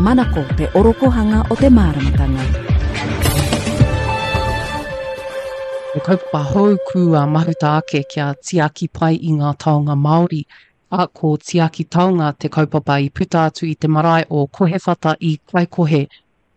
Manako te orokohanga o te māramatanga. He kaupapa hou kua mahuta ake kia tiaki pai i ngā taonga Māori, ā, ko Tiaki Taonga te kaupapa i puta atu i te marae o Kohewhata i Kaikohe,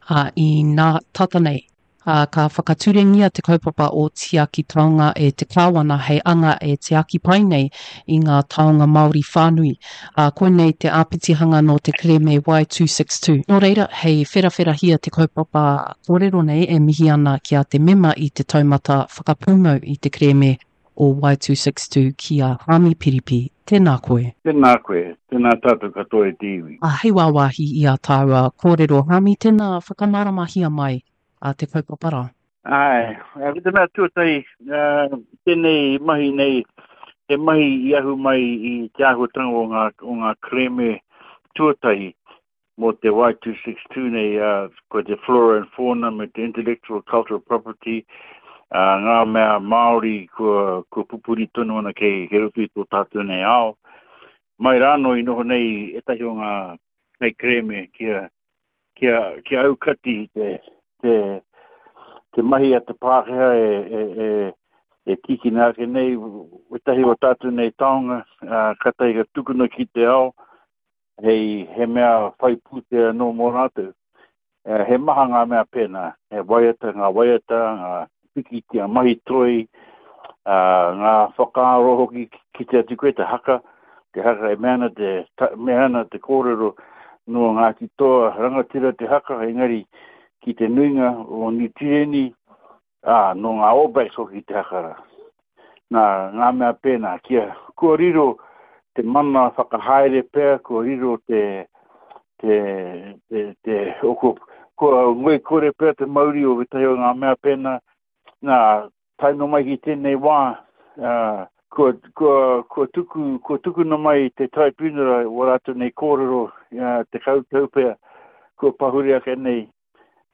ā, i nā tata nei, ā, ka whakaturengia te kaupapa o Tiaki Taonga e te Kāwana hei anga e tiaki pai nei i ngā taonga Māori whānui, ā, koinei te āpitihanga nō te kerēme Y262. Nō reira, hei wherawherahia te kaupapa kōrero nei e mihi ana ki a te mema i te taumata whakapūmau i te kerēme o Y262 ki a Haami Piripi. Tēnā koe. Tēnā koe, tēnā tātou katoa e te iwi. Ā, hei wāwāhi i ā tāua kōrero, Haami, tēnā whakamāramahia mai a te kaupapa rā. Āe, ko te mea tuatahi, tēnei mahi nei, he mahi i ahu mai i te āhuatanga o ngā, o ngā kerēme tuatahi mō te Y262 nei, ā, ko te flora and fauna me te intellectual cultural property, ā, ngā mea Māori kua, kua pupuri tonu ana kei, kei roto i tō tātou nei ao. Mai rānō i noho nei ētahi o ngā kaikerēme kia, kia, kia aukati te, te, te mahi a te Pākehā e, e, e, e tīkina ake nei wētahi o tātou nei taonga, ā, kātahi ka tukuna ki te ao, hei he mea whai pūtea anō mō rātou. He maha ngā mea pēnā, he waiata, ngā waiata, ngā pikitia mahi toi, ngā whakaaro hoki kite atu koe te haka, te haka e mea ana te, ta, mea ana te kōrero nō Ngāti Toa rangatira te haka, engari ki te nuinga o Niu Tireni, Ā, nō ngā All Blacks hoki te haka rā. Nā, ngā mea pēnā, kia, kua riro te mana whakahaere pea, kua riro te, te, te, te, o, kua, kua ngoikore pea te mauri o wētahi o ngā mea pēnā. Nā, tae noa mai ki tēnei wā, ā, kua, kua, kua tuku, kua tukuna mai te Tribunal wā rātou nei kōrero, ā, 10 tau pea, kua pahure ake nei,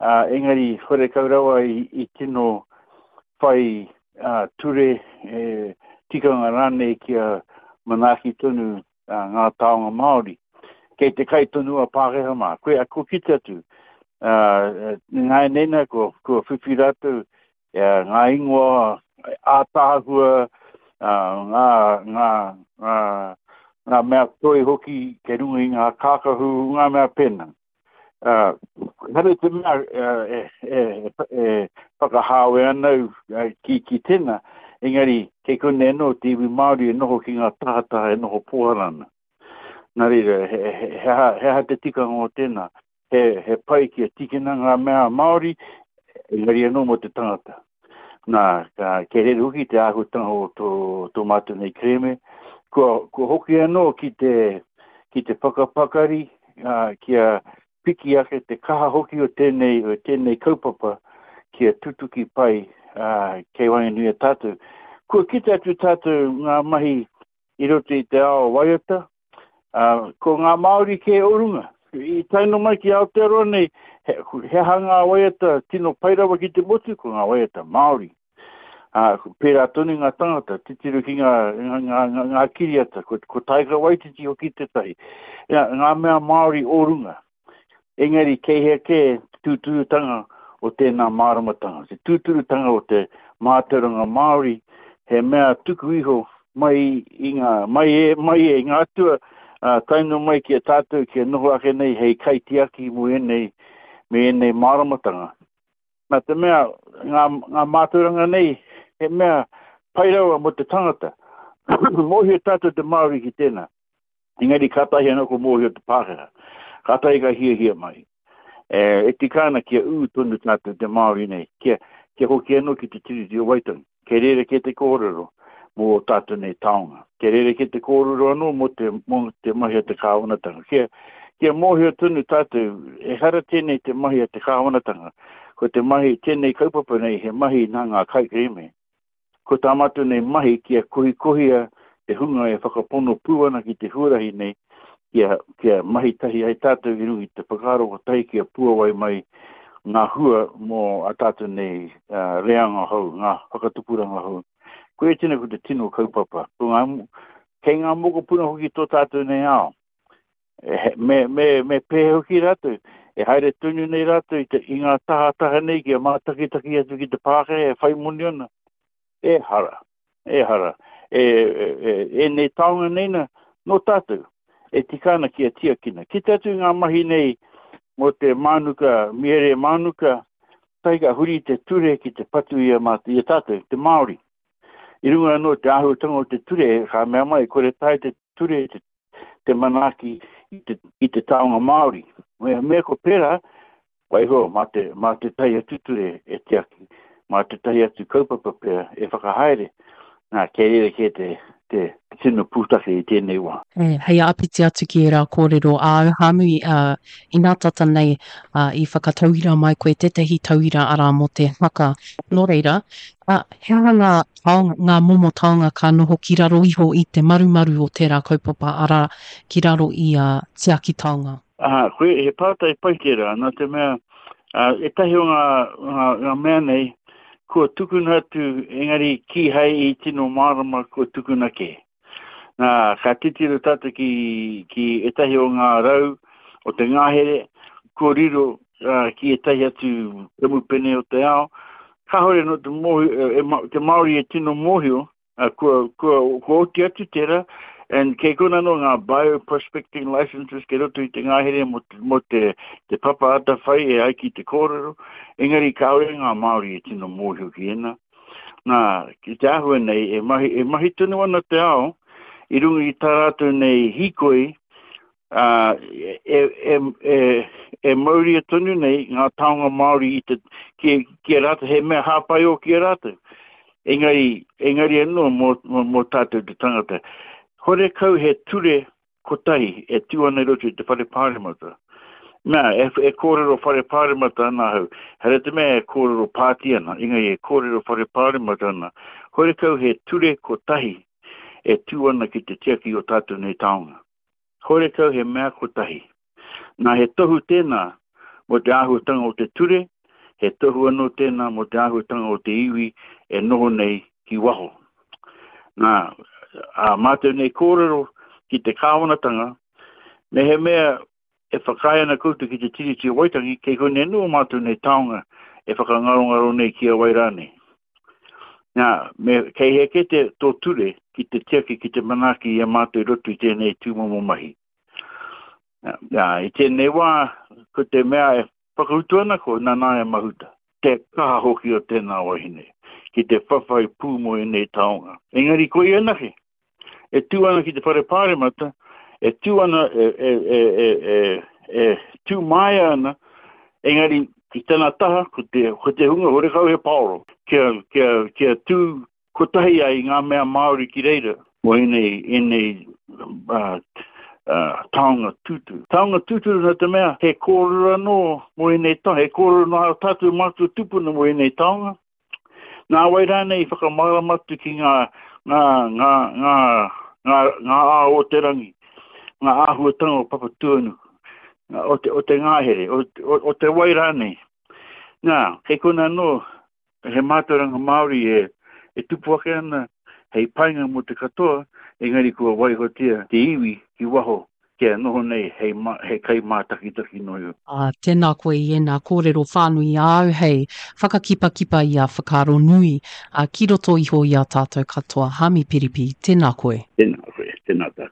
ā, engari horekau rawa i, i tino whai ā, ture, e, tikanga rānei kia manaaki tonu ā, ngā taonga Māori. Kei te kai tonu a Pākehā mā. Koe, kua kite atu, ā, nāianei nā, kua, kua whiwhi rātou ā, ngā ingoa ātaahua, ā, ngā, ngā, ngā, ngā mea toi hoki kei runga i ngā kākahu, ngā mea pēnā. Uh, ehara i te mea e, e, e whakahāwe ana au ki, ki tēnā, engari kei konei anō te iwi Māori e noho ki ngā tahataha e noho pōhara ana. Nā reira, he, he, he, aha, he aha te tikanga o tēnā? He, he pai kia tīkina ngā mea Māori, engari anō mō te tangata. Nā, ka, kei reira hoki te āhuatanga o tō, tō mātou nei kerēme. Kua, kua hoki anō ki te, ki te whakapakari, ā, kia piki ake te kaha hoki o tēnei, o tēnei kaupapa kia tutuki pai, ā, kei waenganui a tātou. Kua kite atu tātou ngā mahi i roto i te ao waiata, ā, ko ngā Māori kē o runga. I tae noa mai ki Aotearoa nei, he, he aha ngā waiata tino pai rawa ki te motu, ko ngā waiata Māori. Ā, pērā tonu ngā tangata, titiro ki ngā, ngā, ngā, ngā, ngā kiriata, ko, ko Taika Waititi hoki tētahi. Ia, ngā mea Māori o runga. Engari kei hea kē te tūturutanga o tēnā māramatanga, te tūturutanga o te mātauranga Māori, he mea tuku iho mai i ngā, mai e, mai e ngā atua, ā, tae noa mai ki a tātou kia noho ake nei hei kaitiaki mō ēnei, me ēnei māramatanga. Nā te mea, ngā, ngā mātauranga nei, he mea pai rawa mō te tangata. Mōhio tātou te Māori ki tēnā. Engari kātahi anō ko mōhio te Pākehā. Kātahi ka hiahia mai. E, e tika ana kia ū tonu tātou te Māori nei, kia, kia hoki anō ki te Tiriti o Waitangi. Kei reira kē te kōrero mō ō tātou nei taonga. Kei reira kē te kōrero anō mō te, mō te mahi a te kāwanatanga. Kia, kia mōhio tonu tātou, ehara tēnei te mahi a te kāwanatanga. Ko te mahi, tēnei kaupapa nei, he mahi nā ngā kaikerēme. Ko tā mātou nei mahi kia kohikohia te hunga e whakapono pū ana ki te huarahi nei, kia, kia mahi tahi ai tātou i runga i te whakaaro kotahi kia puawai mai ngā hua mō a tātou nei uh, reanga hou, ngā whakatupuranga hou. Koia tēnei ko te tino kaupapa. Ko ngā, kei ngā mokopuna hoki tō tātou nei ao. Me, me, me pēhea hoki rātou? E haere tonu nei rātou i, te, i ngā tahataha nei kia mātakitaki atu ki te Pākehā e whai moni ana. Ehara, ehara. E, e, e, ēnei taonga nei na, nō tātou, e tika ana kia tiakina. Kite atu i ngā mahi nei mō te mānuka, miere mānuka, tahi ka huri te ture ki te patu i a mātou, i a tātou, te Māori. I runga anō te āhuatanga o te ture, ka mea mai, kore taea te ture te, te manaaki i te, i te taonga Māori. Mea, mea ko pērā, waiho, mā te, mā tētahi atu ture e tiaki, mā tētahi atu kaupapa pea e whakahaere, nā, kei reira kē te, te tino pūtake i tēnei wā. E, hei āpiti atu ki ērā kōrero āu, Hāmui, ā, inā tata nei, ā, i whakatauira mai koe tētahi tauira arā mō te haka. Nō reira, ā, he aha ngā taonga, ngā momo taonga ka noho ki raro iho i te marumaru o tērā kaupapa, arā, ki raro i a Tiaki Taonga? Aha, koe, he pātai pai tērā, nā te mea, ā, ētahi o ngā, ngā, ngā mea nei, kua tukuna atu, engari kīhai i tino mārama kua tukuna kē. Nā, ka titiro tātou ki, ki ētahi o ngā rau o te ngahere, kua riro uh, ki ētahi atu kamupene o te ao, kāhore nō te, mōhio, e, e, te Māori e tino mōhio, uh, kua, kua, kua oti atu tērā, and kei kona anō ngā bioprospecting licenses kei roto i te ngahere mō te, mō te, te papa atawhai e ai ki te kōrero, engari kāore ngā Māori e tino mōhio ki ēnā. Nā, ki te āhua nei, e mahi, e mahi tonu ana te ao i runga i tā rātou nei hīkoi, ā, e, e, e, e mauria tonu nei ngā taonga Māori i te, ki, ki a rātou, he mea hāpai ō ki a rātou. Engari, engari anō mō, mō, mō tātou te tangata. Horekau he ture kotahi e tū ana i roto i te whare pāremata. Nā, e, e kōrero whare pāremata ana ahau, hara te mea e kōrero pāti ana, engari e kōrero whare pāremata ana, horekau he ture kotahi e tū ana ki te tiaki o tātou nei taonga. Horekau he mea kotahi. Nā, he tohu tēnā mō te āhuatanga o te ture, he tohu anō tēnā mō te āhuatanga o te iwi e noho nei ki waho. Nā, ā mātou nei kōrero ki te kāwanatanga, mehemea e whakaae ana koutou ki te Tiriti o Waitangi, kei konei anō ō mātou nei taonga e whakangarongaro nei ki a wai rānei. Nā, me, kei hea kē te, tō ture ki te tiaki, ki te manaaki i a mātou i roto i tēnei tūmomo mahi. Nā, i tēnei wā, ko te mea e whakautu ana ko Nanaia Mahuta. Te kaha hoki o tēnā wahine ki te whawhai pū mō ēnei taonga. Engari ko ia anake, e tū ana ki te whare pāremata, e tū ana, e, e, e, e, e, e tū māia ana, engari ki tana taha, ko te, ko te hunga horekau he paoro, kia, kia, kia tū Kotahi ai ngā mea Māori ki reira mō ēnei, ēnei uh, uh, taonga tūturu. Taonga tūturu nā te mea he kōrero anō mō ēnei taonga, he kōrero nā ā tātou mātua tūpuna mō ēnei taonga. Nā wai rānei i whakamārama atu ki ngā, ngā, ngā, ngā, ngā, ngā ao o te rangi, ngā āhuatanga o Papatūānuku, o te, o te ngahere, o, o, o te wai rānei. Nā, kei konā anō He mātauranga Māori e, e tupu ake ana hei painga mō te katoa, engari kua waihotia te iwi ki waho kia noho nei hei, ma, hei kaimātakitaki noa iho. Ā, tēnā koe i ēnā kōrero whānui āu hei whakakipakipa i a whakaaro nui, ā, ki roto iho i a tātou katoa. Hāmi Piripi, tēnā koe. Tēnā koe, tēnā tātou.